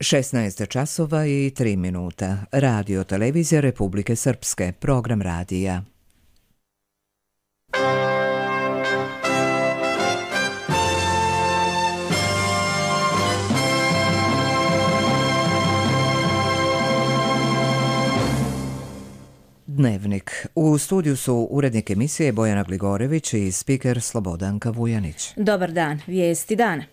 16 časova i 3 minuta. Radio televizija Republike Srpske. Program radija. Dnevnik. U studiju su urednik emisije Bojana Gligorević i spiker Slobodanka Vujanić. Dobar dan, vijesti dana.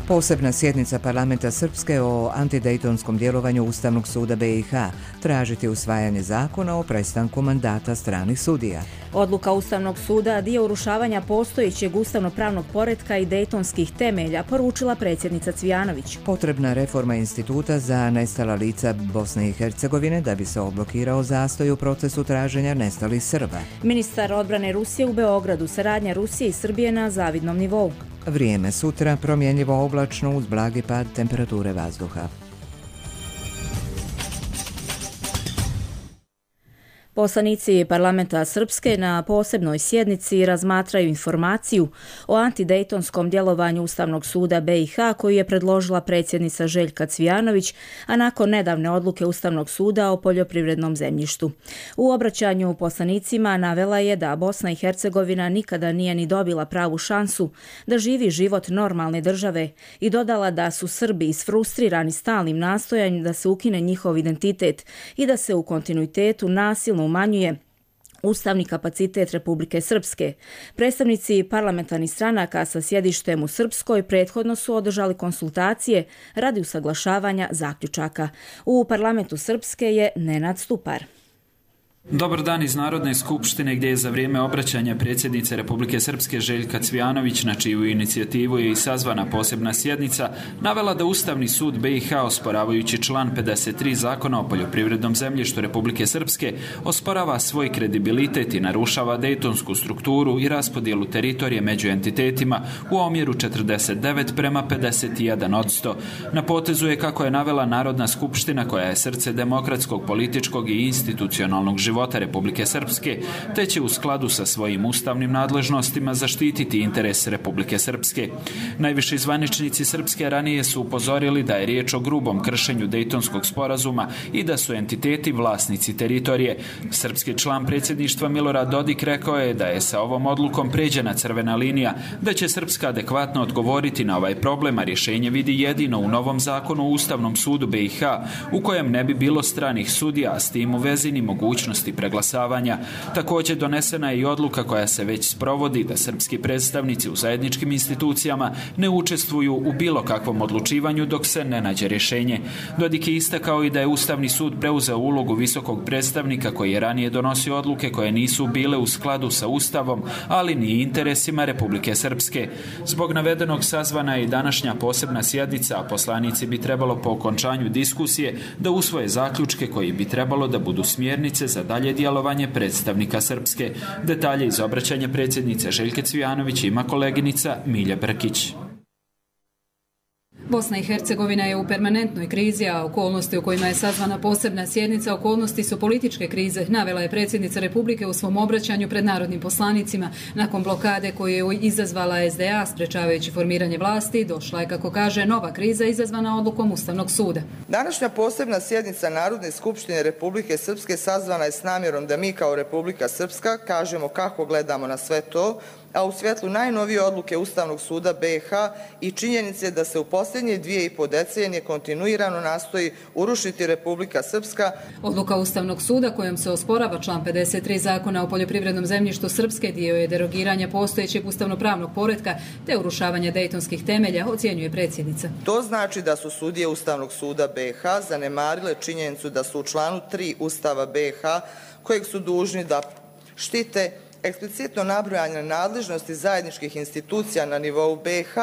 Posebna sjednica parlamenta Srpske o antidejtonskom djelovanju Ustavnog suda BiH tražiti usvajanje zakona o prestanku mandata stranih sudija. Odluka Ustavnog suda dio urušavanja postojećeg ustavno-pravnog poretka i dejtonskih temelja, poručila predsjednica Cvijanović. Potrebna reforma instituta za nestala lica Bosne i Hercegovine da bi se odblokirao zastoj u procesu traženja nestalih Srba. Ministar odbrane Rusije u Beogradu, saradnja Rusije i Srbije na zavidnom nivou. Vrijeme sutra promjenjivo oblačno uz blagi pad temperature vazduha. Poslanici parlamenta Srpske na posebnoj sjednici razmatraju informaciju o antidejtonskom djelovanju Ustavnog suda BiH koju je predložila predsjednica Željka Cvijanović, a nakon nedavne odluke Ustavnog suda o poljoprivrednom zemljištu. U obraćanju poslanicima navela je da Bosna i Hercegovina nikada nije ni dobila pravu šansu da živi život normalne države i dodala da su Srbi isfrustrirani stalnim nastojanjem da se ukine njihov identitet i da se u kontinuitetu nasilno umanjuje ustavni kapacitet Republike Srpske. Predstavnici parlamentarnih stranaka sa sjedištem u Srpskoj prethodno su održali konsultacije radi usaglašavanja zaključaka. U parlamentu Srpske je Nenad Stupar. Dobar dan iz Narodne skupštine gdje je za vrijeme obraćanja predsjednice Republike Srpske Željka Cvijanović, na čiju inicijativu je i sazvana posebna sjednica, navela da Ustavni sud BiH, osporavajući član 53 Zakona o poljoprivrednom zemljištu Republike Srpske, osporava svoj kredibilitet i narušava dejtonsku strukturu i raspodjelu teritorije među entitetima u omjeru 49:51%. Na potezu je, kako je navela, Narodna skupština koja je srce demokratskog, političkog i institucionalnog života Republike Srpske, te će u skladu sa svojim ustavnim nadležnostima zaštititi interes Republike Srpske. Najviši zvaničnici Srpske ranije su upozorili da je riječ o grubom kršenju Dejtonskog sporazuma i da su entiteti vlasnici teritorije. Srpski član predsjedništva Milorad Dodik rekao je da je sa ovom odlukom pređena crvena linija, da će Srpska adekvatno odgovoriti na ovaj problem, a rješenje vidi jedino u novom zakonu o Ustavnom sudu BiH, u kojem ne bi bilo stranih sudija, a s tim u vezi ni mogućnosti preglasavanja. Također donesena je i odluka koja se već sprovodi da srpski predstavnici u zajedničkim institucijama ne učestvuju u bilo kakvom odlučivanju dok se ne nađe rješenje. Dodik je istakao i da je Ustavni sud preuzeo ulogu visokog predstavnika koji je ranije donosio odluke koje nisu bile u skladu sa Ustavom, ali ni interesima Republike Srpske. Zbog navedenog sazvana je i današnja posebna sjednica, a poslanici bi trebalo po okončanju diskusije da usvoje zaključke koji bi trebalo da budu smjernice za dalje djelovanje predstavnika Srpske. Detalje iz obraćanja predsjednice Željke Cvijanović ima koleginica Milja Brkić. Bosna i Hercegovina je u permanentnoj krizi, a okolnosti u kojima je sazvana posebna sjednica okolnosti su političke krize, navela je predsjednica Republike u svom obraćanju pred narodnim poslanicima. Nakon blokade koju je izazvala SDA sprečavajući formiranje vlasti, došla je, kako kaže, nova kriza izazvana odlukom Ustavnog suda. Današnja posebna sjednica Narodne skupštine Republike Srpske sazvana je s namjerom da mi kao Republika Srpska kažemo kako gledamo na sve to, a u svjetlu najnovije odluke Ustavnog suda BiH i činjenice da se u posljednje 2,5 decenije kontinuirano nastoji urušiti Republika Srpska. Odluka Ustavnog suda kojom se osporava član 53 Zakona o poljoprivrednom zemljištu Srpske dio je derogiranja postojećeg ustavno-pravnog poretka te urušavanja dejtonskih temelja, ocjenjuje predsjednica. To znači da su sudije Ustavnog suda BiH zanemarile činjenicu da su u članu 3 Ustava BiH, kojeg su dužni da štite eksplicitno nabrojane nadležnosti zajedničkih institucija na nivou BiH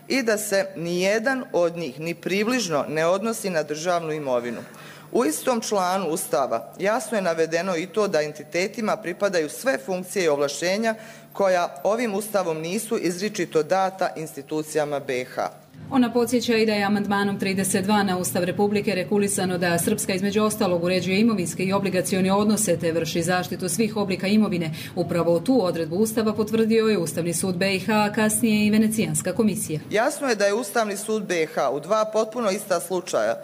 i da se nijedan od njih ni približno ne odnosi na državnu imovinu. U istom članu Ustava jasno je navedeno i to da entitetima pripadaju sve funkcije i ovlaštenja koja ovim Ustavom nisu izričito data institucijama BiH. Ona podsjeća i da je amandmanom 32 na Ustav Republike regulisano da Srpska između ostalog uređuje imovinske i obligacione odnose te vrši zaštitu svih oblika imovine. Upravo tu odredbu Ustava potvrdio je Ustavni sud BiH, a kasnije i Venecijanska komisija. Jasno je da je Ustavni sud BiH u dva potpuno ista slučaja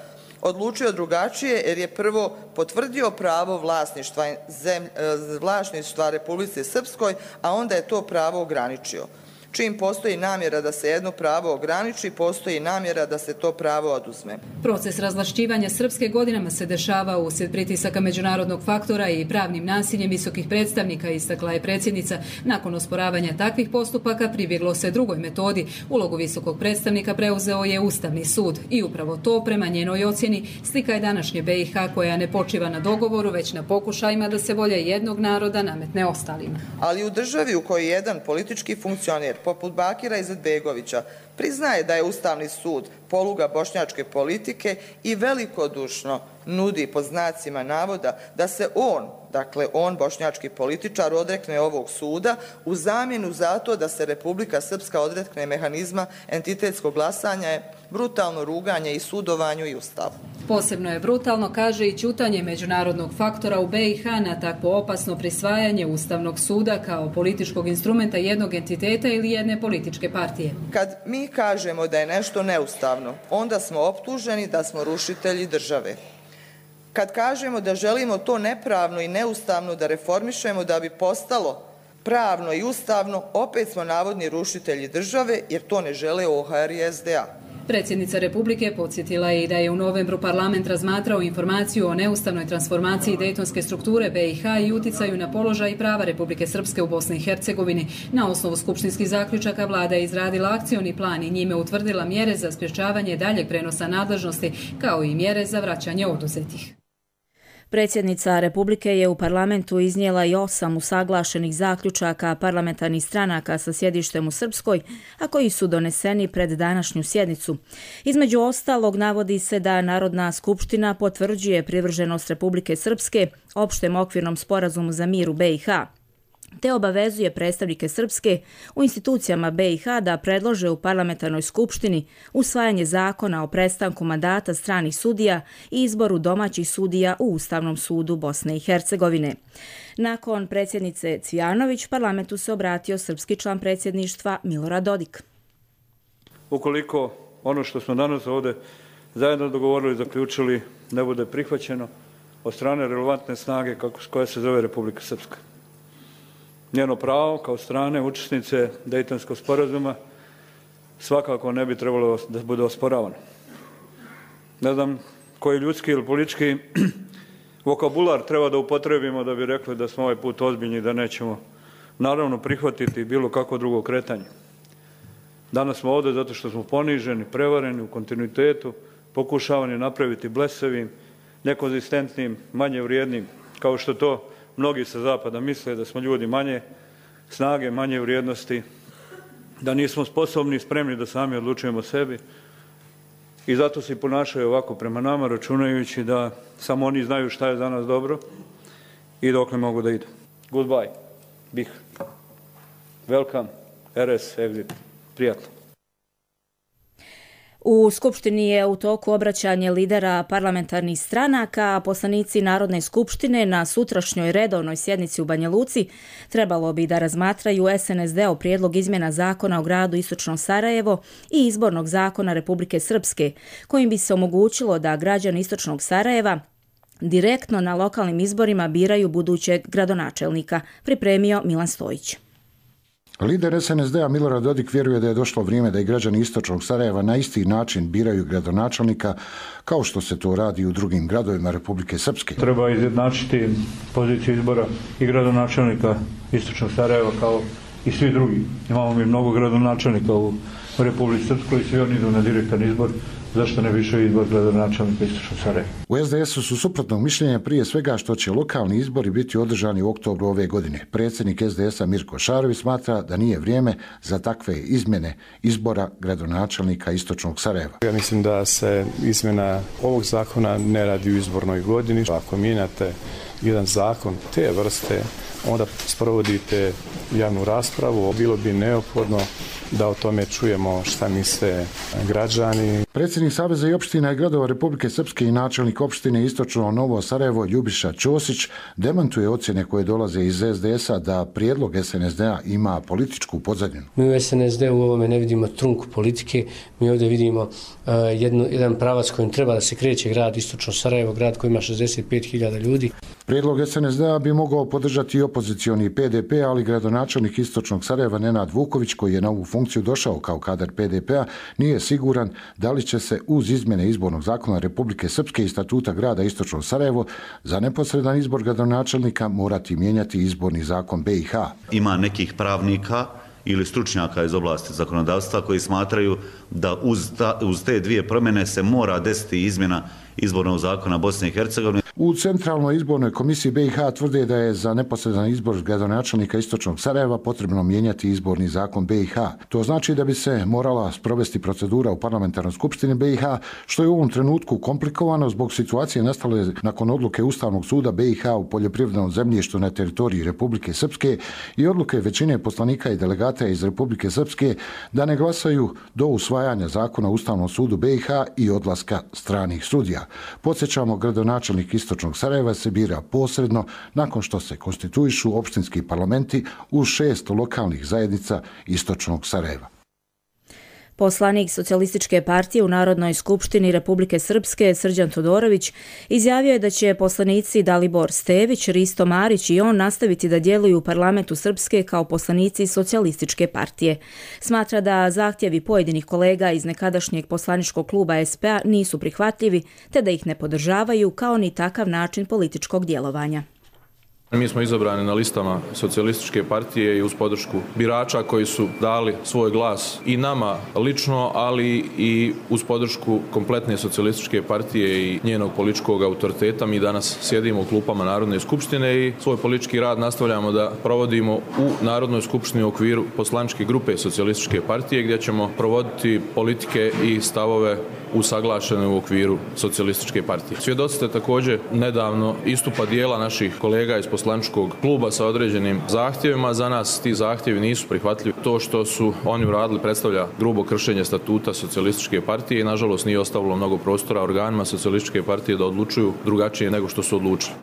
odlučio drugačije jer je prvo potvrdio pravo vlasništva Republici Srpskoj, a onda je to pravo ograničio. Čim postoji namjera da se jedno pravo ograniči, postoji namjera da se to pravo oduzme. Proces razvlašćivanja Srpske godinama se dešava uslijed pritisaka međunarodnog faktora i pravnim nasiljem visokih predstavnika, istakla je predsjednica. Nakon osporavanja takvih postupaka pribjeglo se drugoj metodi. Ulogu visokog predstavnika preuzeo je Ustavni sud i upravo to, prema njenoj ocjeni, slika je današnje BiH koja ne počiva na dogovoru, već na pokušajima da se volja jednog naroda nametne ostalima. Ali u državi u kojoj jedan politički funkcioner poput Bakira Izetbegovića priznaje da je Ustavni sud poluga bošnjačke politike i velikodušno nudi pod znacima navoda da se on bošnjački političar, odrekne ovog suda u zamjenu za to da se Republika Srpska odrekne mehanizma entitetskog glasanja, je brutalno ruganje i sudovanju i Ustavu. Posebno je brutalno, kaže, i ćutanje međunarodnog faktora u BiH na takvo opasno prisvajanje Ustavnog suda kao političkog instrumenta jednog entiteta ili jedne političke partije. Kad mi kažemo da je nešto neustavno, onda smo optuženi da smo rušitelji države. Kad kažemo da želimo to nepravno i neustavno da reformišemo da bi postalo pravno i ustavno, opet smo navodni rušitelji države jer to ne žele OHR i SDA. Predsjednica Republike podsjetila je i da je u novembru parlament razmatrao informaciju o neustavnoj transformaciji dejtonske strukture BiH i uticaju na položaj i prava Republike Srpske u Bosni i Hercegovini. Na osnovu skupštinskih zaključaka vlada je izradila akcioni plan i njime utvrdila mjere za sprječavanje daljeg prenosa nadležnosti, kao i mjere za vraćanje oduzetih. Predsjednica Republike je u parlamentu iznijela i 8 usaglašenih zaključaka parlamentarnih stranaka sa sjedištem u Srpskoj, a koji su doneseni pred današnju sjednicu. Između ostalog navodi se da Narodna skupština potvrđuje privrženost Republike Srpske opštem okvirnom sporazumu za mir u BiH, te obavezuje predstavnike Srpske u institucijama BiH da predlože u parlamentarnoj skupštini usvajanje zakona o prestanku mandata stranih sudija i izboru domaćih sudija u Ustavnom sudu Bosne i Hercegovine. Nakon predsjednice Cvijanović, parlamentu se obratio srpski član predsjedništva Milorad Dodik. Ukoliko ono što smo danas ovdje zajedno dogovorili i zaključili ne bude prihvaćeno od strane relevantne snage koja se zove Republika Srpska, njeno pravo kao strane učesnice Dejtonskog sporazuma svakako ne bi trebalo da bude osporavano. Ne znam koji ljudski ili politički vokabular treba da upotrebimo da bi rekli da smo ovaj put ozbiljni i da nećemo naravno prihvatiti bilo kakvo drugo kretanje. Danas smo ovdje zato što smo poniženi, prevareni u kontinuitetu, pokušavani napraviti blesavim, nekonzistentnim, manje vrijednim, kao što to mnogi sa zapada misle da smo ljudi manje snage, manje vrijednosti, da nismo sposobni i spremni da sami odlučujemo o sebi i zato se i ponašaju ovako prema nama, računajući da samo oni znaju šta je za nas dobro i dokle mogu da idu. Goodbye. Bih. Welcome. RS. Exit. Prijatno. U Skupštini je u toku obraćanje lidera parlamentarnih stranaka, a poslanici Narodne skupštine na sutrašnjoj redovnoj sjednici u Banja Luci trebalo bi da razmatraju SNSD-ov prijedlog izmjena zakona o gradu Istočno Sarajevo i izbornog zakona Republike Srpske, kojim bi se omogućilo da građani Istočnog Sarajeva direktno na lokalnim izborima biraju budućeg gradonačelnika, pripremio Milan Stojić. Lider SNSD-a Milorad Dodik vjeruje da je došlo vrijeme da i građani Istočnog Sarajeva na isti način biraju gradonačelnika kao što se to radi u drugim gradovima Republike Srpske. Treba izjednačiti poziciju izbora i gradonačelnika Istočnog Sarajeva kao i svi drugi. Imamo mi mnogo gradonačelnika u Republici Srpskoj i svi oni idu na direktan izbor. Zašto ne više izbor gradonačelnika Istočnog Sarajeva? U SDS-u su suprotnog mišljenja prije svega što će lokalni izbori biti održani u oktobru ove godine. Predsjednik SDS-a Mirko Šarović smatra da nije vrijeme za takve izmjene izbora gradonačelnika Istočnog Sarajeva. Ja mislim da se izmjena ovog zakona ne radi u izbornoj godini. Ako mijenjate jedan zakon te vrste, onda sprovodite javnu raspravu. Bilo bi neophodno da o tome čujemo šta misle građani. Predsjednik Saveza i opština i gradova Republike Srpske i načelnik opštine Istočno Novo Sarajevo Ljubiša Ćosić demantuje ocjene koje dolaze iz SDS-a da prijedlog SNSD-a ima političku pozadinu. Mi u SNSD-u u ovome ne vidimo trunku politike, mi ovdje vidimo jedan pravac kojim treba da se kreće grad Istočno Sarajevo, grad koji ima 65.000 ljudi. Prijedlog SNSD-a bi mogao podržati i opozicioni PDP, ali gradonačelnik Istočnog Sarajeva Nenad Vuković, koji je na ovu funkciju došao kao kadar PDP-a, nije siguran da li će se uz izmjene izbornog zakona Republike Srpske i statuta grada Istočno Sarajevo za neposredan izbor gradonačelnika morati mijenjati izborni zakon BiH. Ima nekih pravnika ili stručnjaka iz oblasti zakonodavstva koji smatraju da uz te dvije promjene se mora desiti izmjena izbornog zakona Bosne i Hercegovine. U Centralnoj izbornoj komisiji BiH tvrde da je za neposredan izbor gradonačelnika Istočnog Sarajeva potrebno mijenjati izborni zakon BiH. To znači da bi se morala sprovesti procedura u parlamentarnoj skupštini BiH, što je u ovom trenutku komplikovano zbog situacije nastale nakon odluke Ustavnog suda BiH u poljoprivrednom zemljištu na teritoriji Republike Srpske i odluke većine poslanika i delegata iz Republike Srpske da ne glasaju do usvajanja zakona u Ustavnom sudu BiH i odlaska stranih sudija. Podsjećamo, gradonačelnik Istočnog Sarajeva se bira posredno nakon što se konstituišu opštinski parlamenti u 6 lokalnih zajednica Istočnog Sarajeva. Poslanik Socijalističke partije u Narodnoj skupštini Republike Srpske Srđan Todorović izjavio je da će poslanici Dalibor Stević, Risto Marić i on nastaviti da djeluju u parlamentu Srpske kao poslanici Socijalističke partije. Smatra da zahtjevi pojedinih kolega iz nekadašnjeg poslaničkog kluba SPA nisu prihvatljivi, te da ih ne podržavaju kao ni takav način političkog djelovanja. Mi smo izabrani na listama Socijalističke partije i uz podršku birača koji su dali svoj glas i nama lično, ali i uz podršku kompletne Socijalističke partije i njenog političkog autoriteta. Mi danas sjedimo u klupama Narodne skupštine i svoj politički rad nastavljamo da provodimo u Narodnoj skupštini u okviru poslaničke grupe Socijalističke partije, gdje ćemo provoditi politike i stavove usaglašene u okviru Socijalističke partije. Svjedoci ste također nedavno istupa dijela naših kolega iz poslaničkog kluba sa određenim zahtjevima. Za nas ti zahtjevi nisu prihvatljivi. To što su oni uradili predstavlja grubo kršenje statuta Socijalističke partije i nažalost nije ostavilo mnogo prostora organima Socijalističke partije da odlučuju drugačije nego što su odlučili.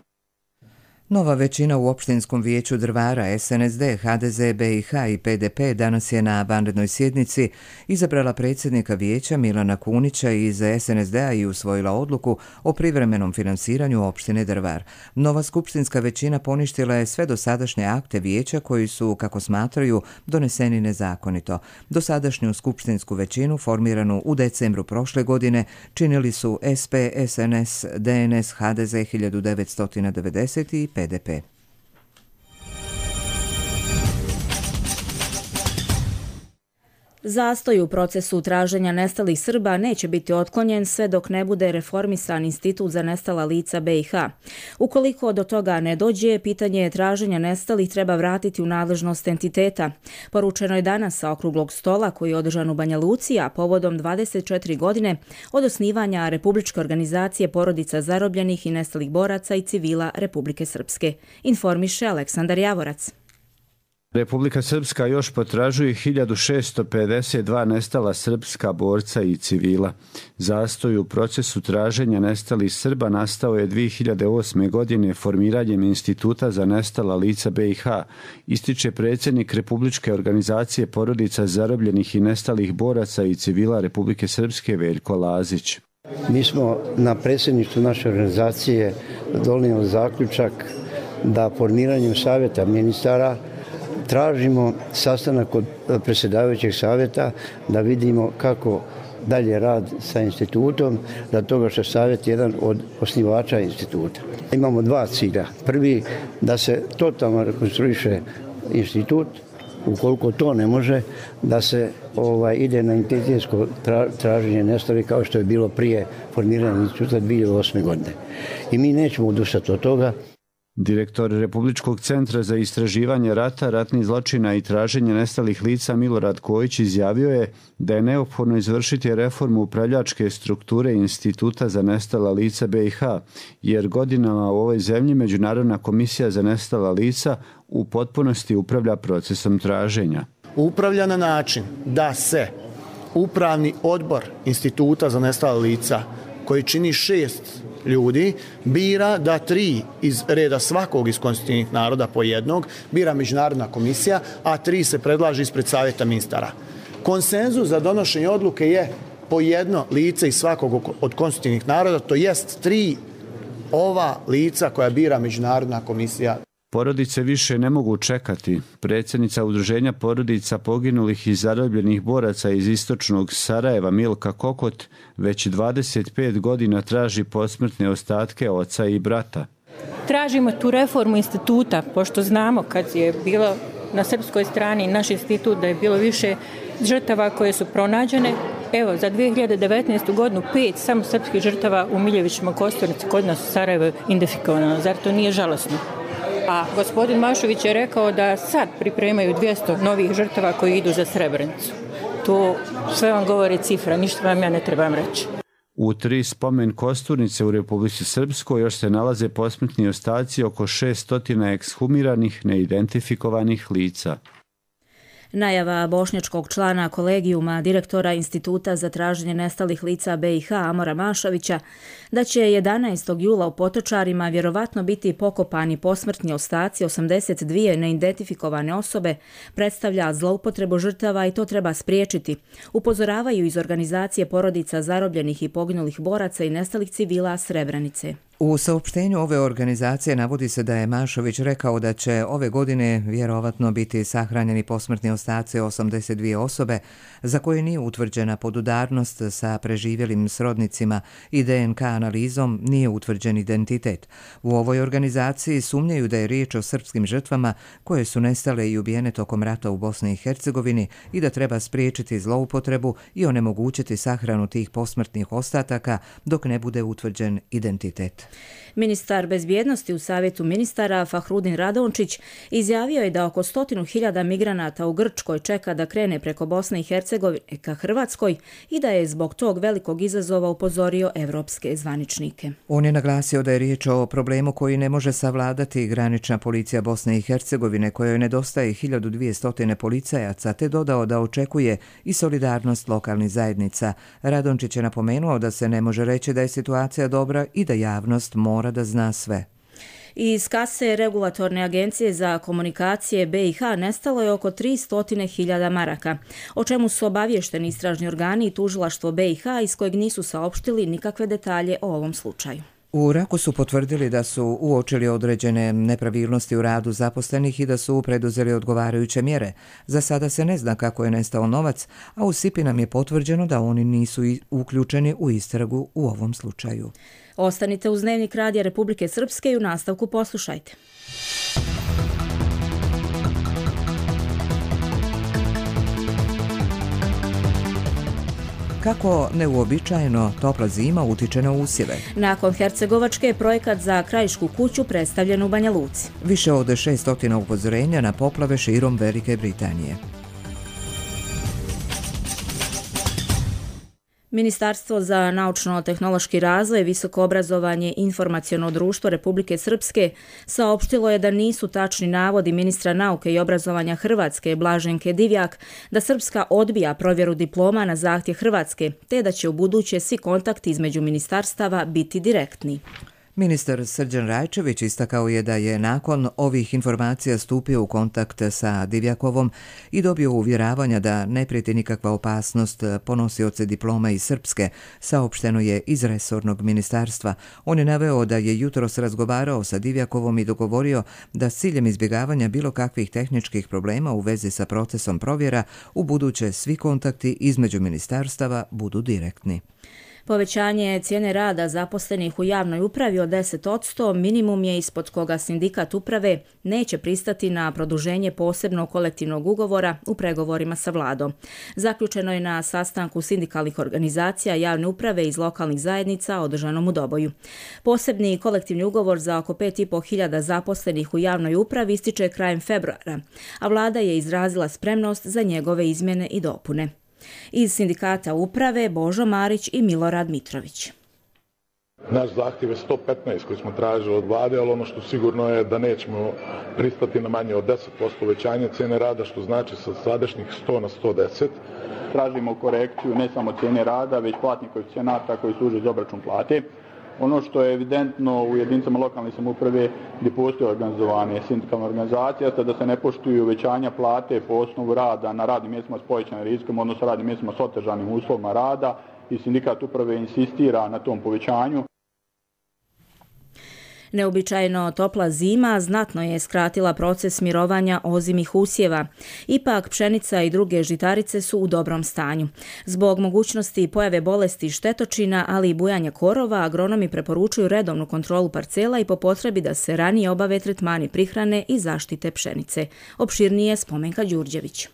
Nova većina u opštinskom vijeću Drvara, SNSD, HDZ, BiH i PDP danas je na vanrednoj sjednici izabrala predsjednika vijeća Milana Kunića iz SNSD-a i usvojila odluku o privremenom finansiranju opštine Drvar. Nova skupštinska većina poništila je sve dosadašnje akte vijeća koji su, kako smatraju, doneseni nezakonito. Dosadašnju skupštinsku većinu, formiranu u decembru prošle godine, činili su SP, SNS, DNS, HDZ 1990 i PDP. Zastoj u procesu traženja nestalih Srba neće biti otklonjen sve dok ne bude reformisan Institut za nestala lica BiH. Ukoliko do toga ne dođe, pitanje traženja nestalih treba vratiti u nadležnost entiteta. Poručeno je danas sa okruglog stola koji je održan u Banja Luci, a povodom 24 godine od osnivanja Republičke organizacije porodica zarobljenih i nestalih boraca i civila Republike Srpske. Informiše Aleksandar Javorac. Republika Srpska još potražuje 1652 nestala srpska borca i civila. Zastoj u procesu traženja nestalih Srba nastao je 2008. godine formiranjem Instituta za nestala lica BiH, ističe predsjednik Republičke organizacije porodica zarobljenih i nestalih boraca i civila Republike Srpske Veljko Lazić. Mi smo na predsjedništvu naše organizacije donijeli zaključak da formiranjem savjeta ministara tražimo sastanak od predsjedavajućeg savjeta da vidimo kako dalje rad sa institutom, da toga što savjet je jedan od osnivača instituta. Imamo dva cilja. Prvi, da se totalno rekonstruiše institut, ukoliko to ne može, da se ide na identitetsko traženje nestalih kao što je bilo prije formiranja instituta 2008. godine. I mi nećemo odustati od toga. Direktor Republičkog centra za istraživanje rata, ratnih zločina i traženje nestalih lica Milorad Kojić izjavio je da je neophodno izvršiti reformu upravljačke strukture Instituta za nestala lica BiH, jer godinama u ovoj zemlji Međunarodna komisija za nestala lica u potpunosti upravlja procesom traženja. upravlja na način da se upravni odbor Instituta za nestala lica, koji čini 6 ljudi, bira da 3 iz reda svakog iz konstitutivnih naroda po jednog, bira međunarodna komisija, a 3 se predlaže ispred savjeta ministara. Konsenzus za donošenje odluke je po jedno lice iz svakog od konstitutivnih naroda, to jest 3 ova lica koja bira međunarodna komisija. Porodice više ne mogu čekati. Predsjednica Udruženja porodica poginulih i zarobljenih boraca iz istočnog Sarajeva Milka Kokot već 25 godina traži posmrtne ostatke oca i brata. Tražimo tu reformu instituta, pošto znamo kad je bilo na srpskoj strani naš institut da je bilo više žrtava koje su pronađene. Evo, za 2019. godinu 5 samo srpskih žrtava u Miljevićima Kosturnici kod nas u Sarajevu identifikovano. Zar to nije žalosno? A gospodin Mašović je rekao da sad pripremaju 200 novih žrtava koji idu za Srebrenicu. To sve vam govore cifra, ništa vam ja ne trebam reći. U 3 spomen Kosturnice u Republici Srpskoj još se nalaze posmrtni ostaci oko 600 ekshumiranih neidentifikovanih lica. Najava bošnjačkog člana kolegijuma direktora Instituta za traženje nestalih lica BiH Amora Mašovića da će 11. jula u Potočarima vjerovatno biti pokopani posmrtni ostaci 82 neidentifikovane osobe predstavlja zloupotrebu žrtava i to treba spriječiti, upozoravaju iz organizacije porodica zarobljenih i poginulih boraca i nestalih civila Srebrenice. U saopštenju ove organizacije navodi se da je Mašović rekao da će ove godine vjerovatno biti sahranjeni posmrtni ostaci 82 osobe za koje nije utvrđena podudarnost sa preživjelim srodnicima i DNK analizom nije utvrđen identitet. U ovoj organizaciji sumnjaju da je riječ o srpskim žrtvama koje su nestale i ubijene tokom rata u Bosni i Hercegovini i da treba spriječiti zloupotrebu i onemogućiti sahranu tih posmrtnih ostataka dok ne bude utvrđen identitet. Ministar bezbjednosti u Savjetu ministara Fahrudin Radončić izjavio je da oko 100.000 migranata u Grčkoj čeka da krene preko Bosne i Hercegovine ka Hrvatskoj i da je zbog tog velikog izazova upozorio evropske zvaničnike. On je naglasio da je riječ o problemu koji ne može savladati granična policija Bosne i Hercegovine kojoj nedostaje 1200 policajaca, te dodao da očekuje i solidarnost lokalnih zajednica. Radončić je napomenuo da se ne može reći da je situacija dobra i da javnost mora da zna sve. Iz kase Regulatorne agencije za komunikacije BiH nestalo je oko 300.000 maraka, o čemu su obavješteni istražni organi i tužilaštvo BiH iz kojeg nisu saopštili nikakve detalje o ovom slučaju. U Raku su potvrdili da su uočili određene nepravilnosti u radu zaposlenih i da su preduzeli odgovarajuće mjere. Za sada se ne zna kako je nestao novac, a u SIPI nam je potvrđeno da oni nisu uključeni u istragu u ovom slučaju. Ostanite uz Dnevnik Radija Republike Srpske i u nastavku poslušajte. Kako neuobičajeno topla zima utiče na usjeve? Nakon Hercegovačke je projekat za krajišku kuću predstavljen u Banja Luci. Više od 600 upozorenja na poplave širom Velike Britanije. Ministarstvo za naučno-tehnološki razvoj, visoko obrazovanje i informaciono društvo Republike Srpske saopštilo je da nisu tačni navodi ministra nauke i obrazovanja Hrvatske Blaženke Divjak da Srpska odbija provjeru diploma na zahtjev Hrvatske, te da će ubuduće svi kontakti između ministarstava biti direktni. Ministar Srđan Rajčević istakao je da je nakon ovih informacija stupio u kontakt sa Divjakovom i dobio uvjeravanja da ne prijeti nikakva opasnost po nosioce diploma iz Srpske, saopšteno je iz resornog ministarstva. On je naveo da je jutros razgovarao sa Divjakovom i dogovorio da s ciljem izbjegavanja bilo kakvih tehničkih problema u vezi sa procesom provjera u buduće svi kontakti između ministarstava budu direktni. Povećanje cijene rada zaposlenih u javnoj upravi od 10% minimum je ispod koga sindikat uprave neće pristati na produženje posebnog kolektivnog ugovora u pregovorima sa vladom. Zaključeno je na sastanku sindikalnih organizacija javne uprave iz lokalnih zajednica održanom u Doboju. Posebni kolektivni ugovor za oko 5.500 zaposlenih u javnoj upravi ističe krajem februara, a vlada je izrazila spremnost za njegove izmjene i dopune. Iz sindikata uprave Božo Marić i Milorad Mitrović. Naš zahtjev je 115 koji smo tražili od vlade, ali ono što sigurno je da nećemo pristati na manje od 10% uvećanja cijene rada, što znači sa sadašnjih 100 na 110. Tražimo korekciju ne samo cijene rada, već platnih koeficijenata koji služe za obračun plate. Ono što je evidentno u jedinicama lokalne samouprave gdje postoje organizovane sindikalne organizacije, da se ne poštuju uvećanja plate po osnovu rada na radnim mjestima s povećanim rizikom, odnosno radnim mjestima s otežanim uslovima rada, i sindikat uprave insistira na tom povećanju. Neobičajno topla zima znatno je skratila proces mirovanja ozimih usjeva. Ipak pšenica i druge žitarice su u dobrom stanju. Zbog mogućnosti pojave bolesti štetočina, ali i bujanja korova, agronomi preporučuju redovnu kontrolu parcela i po potrebi da se ranije obave tretmani prihrane i zaštite pšenice. Opširnije Spomenka Đurđević.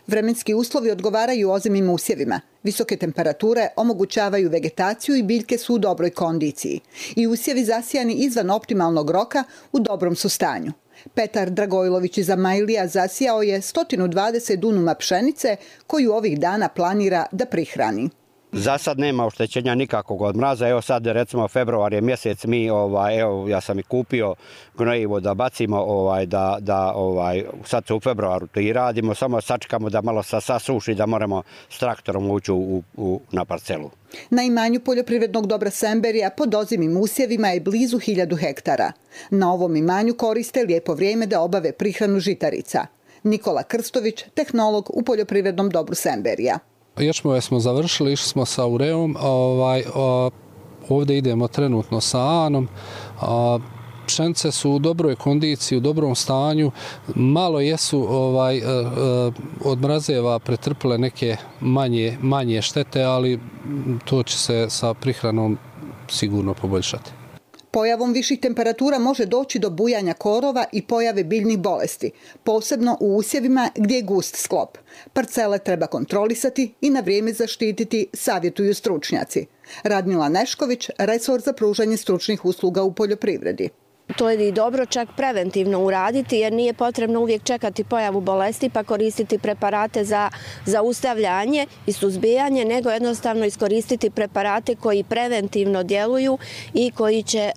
Vremenski uslovi odgovaraju ozimim usjevima. Visoke temperature omogućavaju vegetaciju i biljke su u dobroj kondiciji. I usjevi zasijani izvan optimalnog roka u dobrom su stanju. Petar Dragojlović iz Amajlija zasijao je 120 dunuma pšenice koju ovih dana planira da prihrani. Za sad nema oštećenja nikakvog od mraza. Evo sad recimo februar je mjesec, ja sam i kupio gnojivo da bacimo, sad se u februaru to i radimo, samo sačekamo da malo sasuši, da moramo s traktorom ući na parcelu. Na imanju poljoprivrednog dobra Semberija pod ozimim usjevima je blizu 1000 hektara. Na ovom imanju koriste lijepo vrijeme da obave prihranu žitarica. Nikola Krstović, tehnolog u poljoprivrednom dobru Semberija. Ječmove smo završili, išli smo sa ureom, ovdje idemo trenutno sa anom. Pšenice su u dobroj kondiciji, u dobrom stanju, malo jesu od mrazeva pretrpile neke manje štete, ali to će se sa prihranom sigurno poboljšati. Pojavom viših temperatura može doći do bujanja korova i pojave biljnih bolesti, posebno u usjevima gdje je gust sklop. Parcele treba kontrolisati i na vrijeme zaštititi, savjetuju stručnjaci. Radmila Nešković, resor za pružanje stručnih usluga u poljoprivredi. To je i dobro čak preventivno uraditi jer nije potrebno uvijek čekati pojavu bolesti pa koristiti preparate za zaustavljanje i suzbijanje, nego jednostavno iskoristiti preparate koji preventivno djeluju i koji će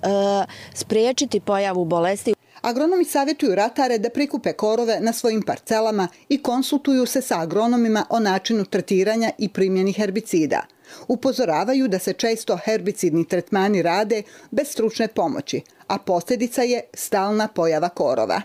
spriječiti pojavu bolesti. Agronomi savjetuju ratare da prikupe korove na svojim parcelama i konsultuju se sa agronomima o načinu tretiranja i primjeni herbicida. Upozoravaju da se često herbicidni tretmani rade bez stručne pomoći, a posljedica je stalna pojava korova.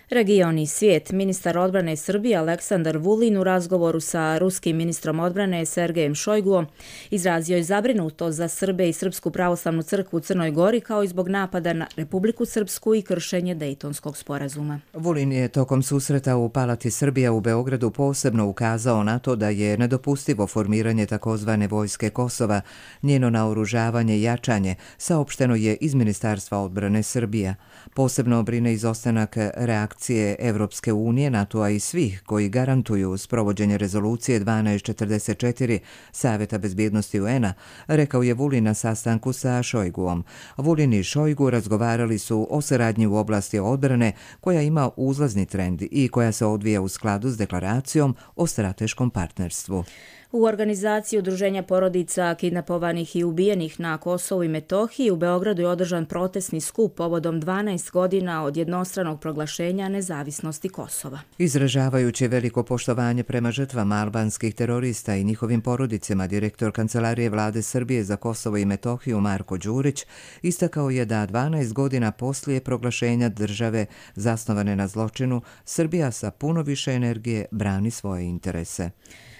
Region i svijet. Ministar odbrane Srbije Aleksandar Vulin u razgovoru sa ruskim ministrom odbrane Sergejem Šojguom izrazio je zabrinutost za Srbe i Srpsku pravoslavnu crkvu u Crnoj Gori kao i zbog napada na Republiku Srpsku i kršenje Dejtonskog sporazuma. Vulin je tokom susreta u Palati Srbija u Beogradu posebno ukazao na to da je nedopustivo formiranje takozvane vojske Kosova, njeno naoružavanje i jačanje, saopšteno je iz Ministarstva odbrane Srbija. Posebno brine izostanak reakcije Evropske unije, NATO-a i svih koji garantuju sprovođenje rezolucije 1244 Savjeta bezbjednosti UN-a, rekao je Vulin na sastanku sa Šojguom. Vulin i Šojgu razgovarali su o saradnji u oblasti odbrane koja ima uzlazni trend i koja se odvija u skladu s deklaracijom o strateškom partnerstvu. U organizaciji Udruženja porodica kidnapovanih i ubijenih na Kosovu i Metohiji u Beogradu je održan protestni skup povodom 12 godina od jednostranog proglašenja nezavisnosti Kosova. Izražavajući veliko poštovanje prema žrtvama albanskih terorista i njihovim porodicama, direktor Kancelarije Vlade Srbije za Kosovo i Metohiju Marko Đurić istakao je da 12 godina poslije proglašenja države zasnovane na zločinu, Srbija sa puno više energije brani svoje interese.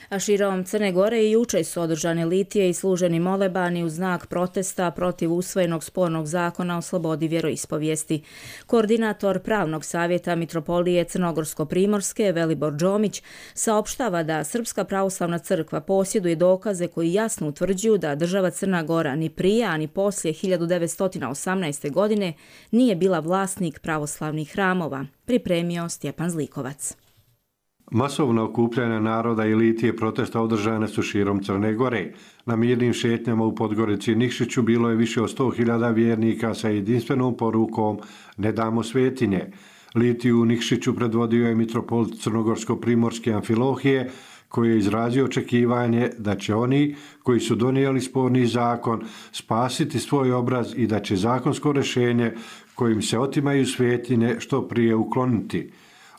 A širom Crne Gore i juče su održane litije i služeni molebani u znak protesta protiv usvojenog spornog zakona o slobodi vjeroispovijesti. Koordinator Pravnog savjeta Mitropolije Crnogorsko-Primorske Velibor Đomić saopštava da Srpska pravoslavna crkva posjeduje dokaze koji jasno utvrđuju da država Crna Gora ni prije, a ni poslije 1918. godine nije bila vlasnik pravoslavnih hramova, pripremio Stjepan Zlikovac. Masovna okupljanja naroda i litije protesta održane su širom Crne Gore. Na mirnim šetnjama u Podgorici i Nikšiću bilo je više od 100.000 vjernika sa jedinstvenom porukom Ne damo svetinje. Litiju u Nikšiću predvodio je mitropolit Crnogorsko-Primorske Amfilohije, koji je izrazio očekivanje da će oni koji su donijeli sporni zakon spasiti svoj obraz i da će zakonsko rješenje kojim se otimaju svetinje što prije ukloniti.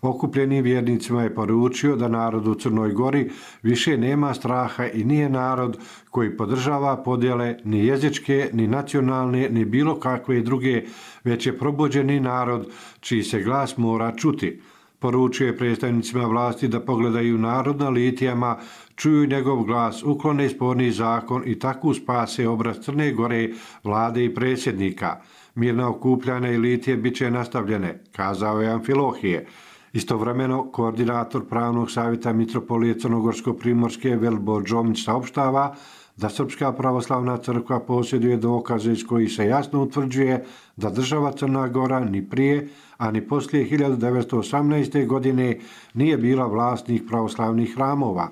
Okupljenim vjernicima je poručio da narod u Crnoj Gori više nema straha i nije narod koji podržava podjele ni jezičke, ni nacionalne, ni bilo kakve druge, već je probuđeni narod čiji se glas mora čuti. Poručio je predstavnicima vlasti da pogledaju narod na litijama, čuju njegov glas, uklone sporni zakon i tako spase obraz Crne Gore, vlade i predsjednika. Mirna okupljanja i litije bit će nastavljene, kazao je Amfilohije. Istovremeno, koordinator Pravnog savjeta Mitropolije Crnogorsko-Primorske Velibor Džomić saopštava da Srpska pravoslavna crkva posjeduje dokaze iz kojih se jasno utvrđuje da država Crna Gora ni prije, a ni poslije 1918. godine nije bila vlasnik pravoslavnih hramova.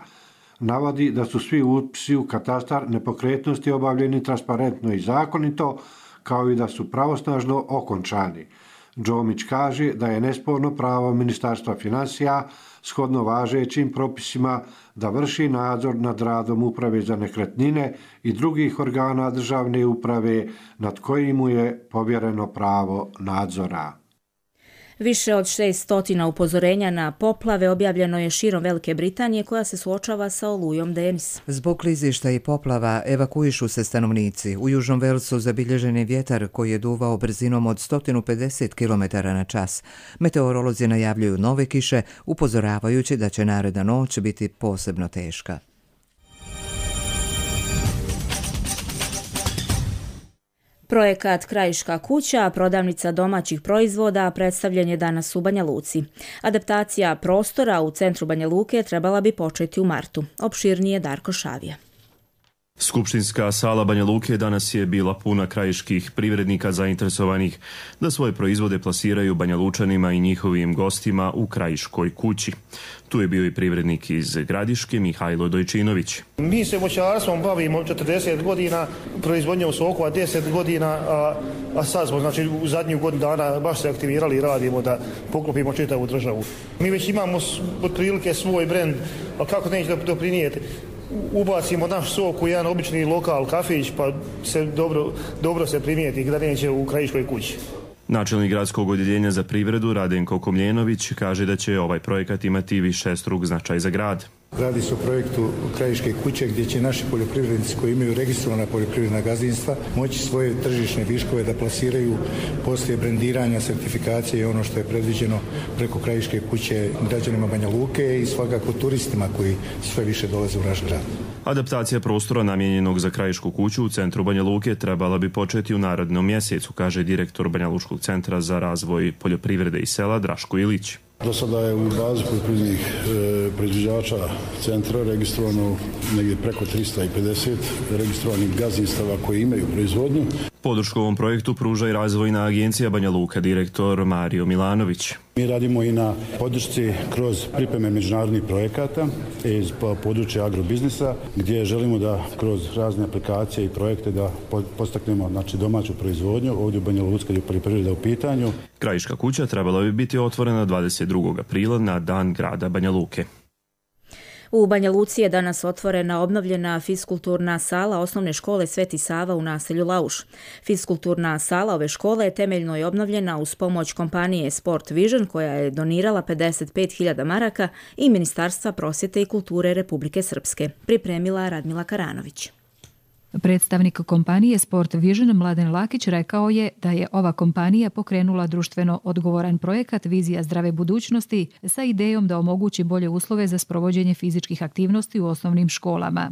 Navodi da su svi upisi u katastar nepokretnosti obavljeni transparentno i zakonito, kao i da su pravosnažno okončani. Džomić kaže da je nesporno pravo Ministarstva financija shodno važećim propisima da vrši nadzor nad radom Uprave za nekretnine i drugih organa državne uprave nad kojim mu je povjereno pravo nadzora. Više od 600 upozorenja na poplave objavljeno je širom Velike Britanije koja se suočava sa olujom Denis. Zbog klizišta i poplava evakuišu se stanovnici. U Južnom Velsu zabilježen je vjetar koji je duvao brzinom od 150 km na čas. Meteorolozi najavljuju nove kiše, upozoravajući da će naredna noć biti posebno teška. Projekat Krajiška kuća, prodavnica domaćih proizvoda, predstavljen je danas u Banja Luci. Adaptacija prostora u centru Banja Luke trebala bi početi u martu. Opširnije Darko Šavija. Skupštinska sala Banja Luke danas je bila puna krajiških privrednika zainteresovanih da svoje proizvode plasiraju Banja Lučanima i njihovim gostima u Krajiškoj kući. Tu je bio i privrednik iz Gradiške, Mihajlo Dojčinović. Mi se voćarstvom bavimo 40 godina, proizvodnjom sokova 10 godina, a sad smo u zadnjih godinu dana baš se aktivirali i radimo da poklopimo čitavu državu. Mi već imamo otprilike svoj brend, a kako neće doprinijeti? Ubacimo naš sok u jedan obični lokal, kafić, pa se dobro se primijeti da neće u Krajiškoj kući. Načelnik gradskog odjeljenja za privredu Radenko Komljenović kaže da će ovaj projekat imati višestruk značaj za grad. Radi se o projektu Krajiške kuće gdje će naši poljoprivrednici koji imaju registrovana poljoprivredna gazdinstva moći svoje tržišne viškove da plasiraju poslije brendiranja, sertifikacije i ono što je predviđeno preko Krajiške kuće građanima Banja Luke i svakako turistima koji sve više dolaze u naš grad. Adaptacija prostora namijenjenog za Krajišku kuću u centru Banja Luke trebala bi početi u narednom mjesecu, kaže direktor Banja Lučkog centra za razvoj poljoprivrede i sela Draško Ilić. Do sada je u bazi poljoprivrednih proizvođača centra registrovano negdje preko 350 registrovanih gazdinstava koji imaju proizvodnju. Podršku ovom projektu pruža i razvojna agencija Banja Luka, direktor Mario Milanović. Mi radimo i na podršci kroz pripreme međunarodnih projekata iz područja agrobiznisa, gdje želimo da kroz razne aplikacije i projekte da postaknemo domaću proizvodnju ovdje u Banja Luci kad je poljoprivreda u pitanju. Krajiška kuća trebala bi biti otvorena 22. aprila na dan grada Banja Luke. U Banja Luci je danas otvorena obnovljena fiskulturna sala osnovne škole Sveti Sava u naselju Lauš. Fiskulturna sala ove škole je temeljno i obnovljena uz pomoć kompanije Sport Vision koja je donirala 55.000 maraka i Ministarstva prosvjete i kulture Republike Srpske. Pripremila Radmila Karanović. Predstavnik kompanije Sport Vision Mladen Lakić rekao je da je ova kompanija pokrenula društveno odgovoran projekat Vizija zdrave budućnosti sa idejom da omogući bolje uslove za sprovođenje fizičkih aktivnosti u osnovnim školama.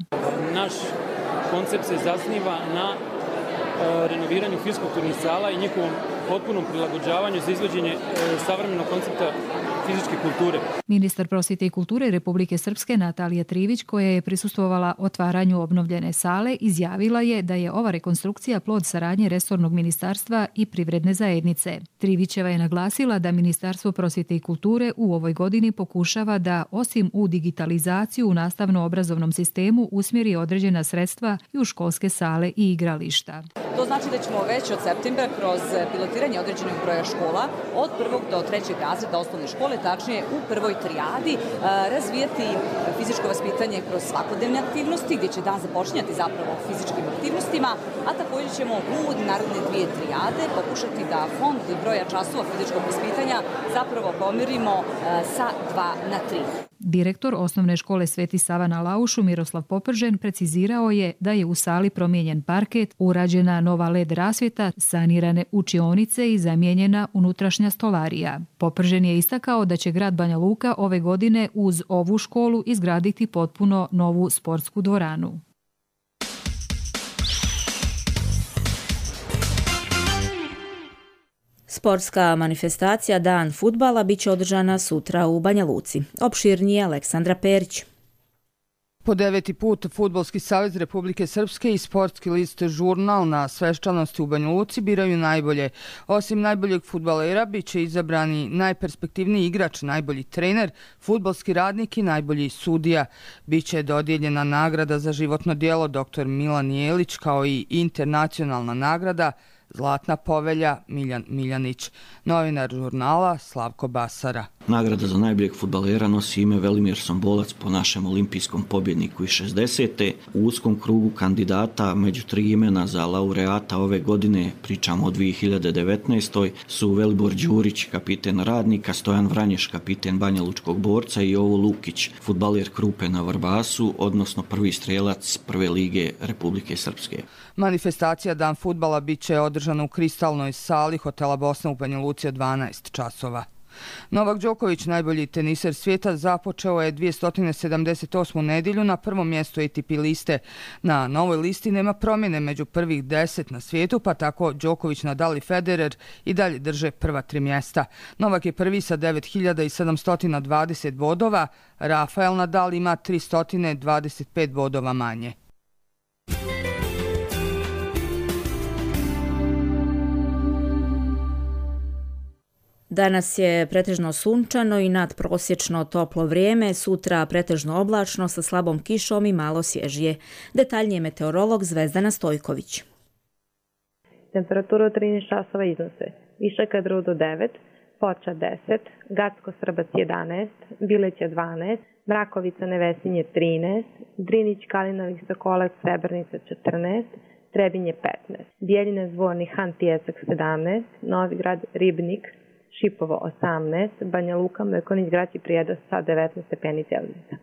Naš koncept se zasniva na renoviranju fiskulturnih sala i njihovom potpunom prilagođavanju za izvođenje savremenog koncepta fizičke kulture. Ministar prosvjete i kulture Republike Srpske Natalija Trivić, koja je prisustvovala otvaranju obnovljene sale, izjavila je da je ova rekonstrukcija plod saradnje resornog ministarstva i privredne zajednice. Trivićeva je naglasila da Ministarstvo prosvjete i kulture u ovoj godini pokušava da, osim u digitalizaciju u nastavno-obrazovnom sistemu, usmjeri određena sredstva i u školske sale i igrališta. To znači da ćemo već od septembra kroz pilotiranje određenog broja škola od 1. do 3. razreda osnovne škole, tačnije u prvoj trijadi, razvijati fizičko vaspitanje kroz svakodnevne aktivnosti, gdje će dan započinjati zapravo fizičkim aktivnostima, a također ćemo u naredne 2 trijade pokušati da fond broja časova fizičkog vaspitanja zapravo pomerimo sa 2 na 3. Direktor osnovne škole Sveti Sava na Laušu Miroslav Popržen precizirao je da je u sali promijenjen parket, urađena nova LED rasvjeta, sanirane učionice i zamijenjena unutrašnja stolarija. Popržen je istakao da će grad Banja Luka ove godine uz ovu školu izgraditi potpuno novu sportsku dvoranu. Sportska manifestacija Dan fudbala biće održana sutra u Banja Luci. Opširnije Aleksandra Perić. Po 9. put Fudbalski savez Republike Srpske i sportski list Žurnal na svečanosti u Banja Luci biraju najbolje. Osim najboljeg fudbalera biće izabrani najperspektivniji igrač, najbolji trener, fudbalski radnik i najbolji sudija. Biće dodijeljena nagrada za životno djelo dr. Milan Jelić kao i internacionalna nagrada Zlatna povelja Miljan Miljanić. Novinar Žurnala Slavko Basara. Nagrada za najboljeg fudbalera nosi ime Velimir Sombolac po našem olimpijskom pobjedniku iz 60. U uskom krugu kandidata među 3 imena za laureata ove godine, pričamo o 2019. su Velibor Đurić, kapiten Radnika, Stojan Vranješ, kapiten Banja Lučkog Borca i Jovo Lukić, fudbaler Krupe na Vrbasu, odnosno prvi strelac prve lige Republike Srpske. Manifestacija Dan fudbala biće održana u kristalnoj sali hotela Bosna u Banja Luci od 12 časova. Novak Đoković, najbolji teniser svijeta, započeo je 278. nedjelju na prvom mjestu ATP liste. Na novoj listi nema promjene među prvih 10 na svijetu, pa tako Đoković, Nadal i Federer i dalje drže prva 3 mjesta. Novak je prvi sa 9720 bodova, Rafael Nadal ima 325 bodova manje. Danas je pretežno sunčano i nadprosječno toplo vrijeme, sutra pretežno oblačno sa slabom kišom i malo svježije. Detaljnije meteorolog Zvezdana Stojković. Temperatura od 13 časova iznose Viša Kadrov do 9, Foča 10, Gacko-Srbac 11, Bileća 12, Mrakovica Nevesinje 13, Drinić Kalinovih Sokolac Srebrnica 14, Trebinje 15, Bijeljina Zvornik Han Tijesak 17, Novigrad Ribnik Šipovo 18, Banja Luka, Mrkonić, Grad i Prijedo sa 19 stepeni Celzijusa.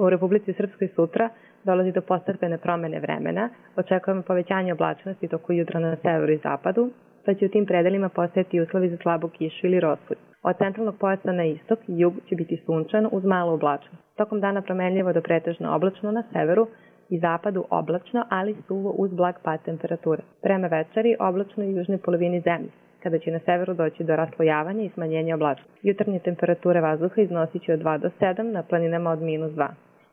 U Republici Srpskoj sutra dolazi do postepene promjene vremena. Očekujemo povećanje oblačnosti toku jutra na severu i zapadu, pa će u tim predelima postojati uslovi za slabu kišu ili rospud. Od centralnog pojasa na istok i jug će biti sunčano uz malu oblačnost. Tokom dana promenljivo do pretežno oblačno na severu i zapadu oblačno, ali suvo uz blag pad temperature. Prema večeri oblačno i južnoj polovini zemlje, kada će na severu doći do raslojavanja i smanjenja oblačnosti. Jutarnje temperature vazduha iznosit će od 2 do 7, na planinama od -2.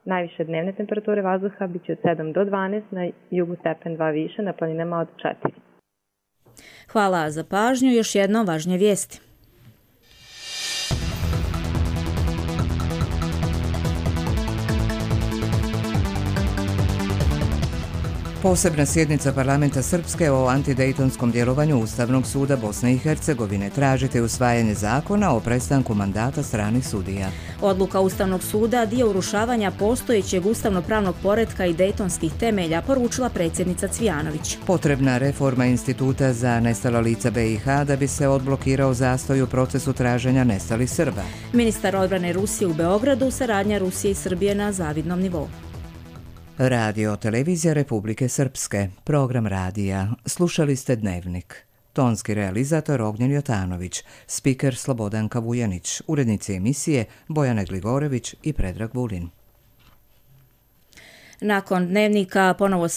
Najviše dnevne temperature vazduha bit će od 7 do 12, na jugu stepen 2 više, na planinama od 4. Hvala za pažnju. Još jedno važnje vijesti. Posebna sjednica parlamenta Srpske o antidejtonskom djelovanju Ustavnog suda Bosne i Hercegovine. Tražite usvajanje zakona o prestanku mandata stranih sudija. Odluka Ustavnog suda dio urušavanja postojećeg ustavno-pravnog poretka i dejtonskih temelja, poručila predsjednica Cvijanović. Potrebna reforma Instituta za nestala lica BiH da bi se odblokirao zastoj u procesu traženja nestalih Srba. Ministar odbrane Rusije u Beogradu, saradnja Rusije i Srbije na zavidnom nivou. Radio Televizija Republike Srpske, program radija. Slušali ste Dnevnik. Tonski realizator Ognjen Jotanović, spiker Slobodanka Vujanić, urednici emisije Bojana Gligorević i Predrag Vulin. Nakon Dnevnika ponovo